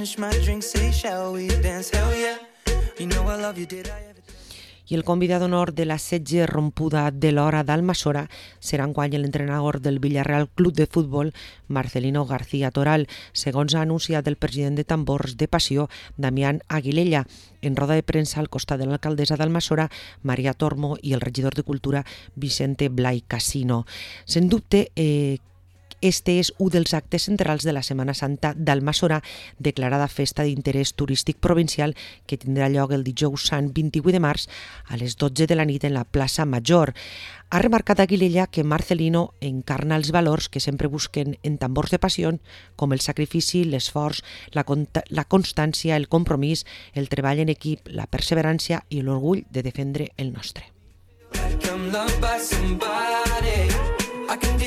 finish my drink, say shall we dance? Hell yeah, you know I love you, did I ever... I el convidat d'honor de la setge rompuda de l'hora d'Almassora serà enguany l'entrenador del Villarreal Club de Futbol, Marcelino García Toral, segons ha anunciat el president de Tambors de Passió, Damián Aguilella, en roda de premsa al costat de l'alcaldessa d'Almassora, Maria Tormo, i el regidor de Cultura, Vicente Blai Casino. Sens dubte, este és un dels actes centrals de la Setmana Santa d'Almassora, declarada festa d'interès turístic provincial, que tindrà lloc el dijous sant 28 de març a les 12 de la nit en la plaça Major. Ha remarcat Aguilella que Marcelino encarna els valors que sempre busquen en Tambors de Passió, com el sacrifici, l'esforç, la constància, el compromís, el treball en equip, la perseverància i l'orgull de defendre el nostre. Like I'm loved by somebody, I can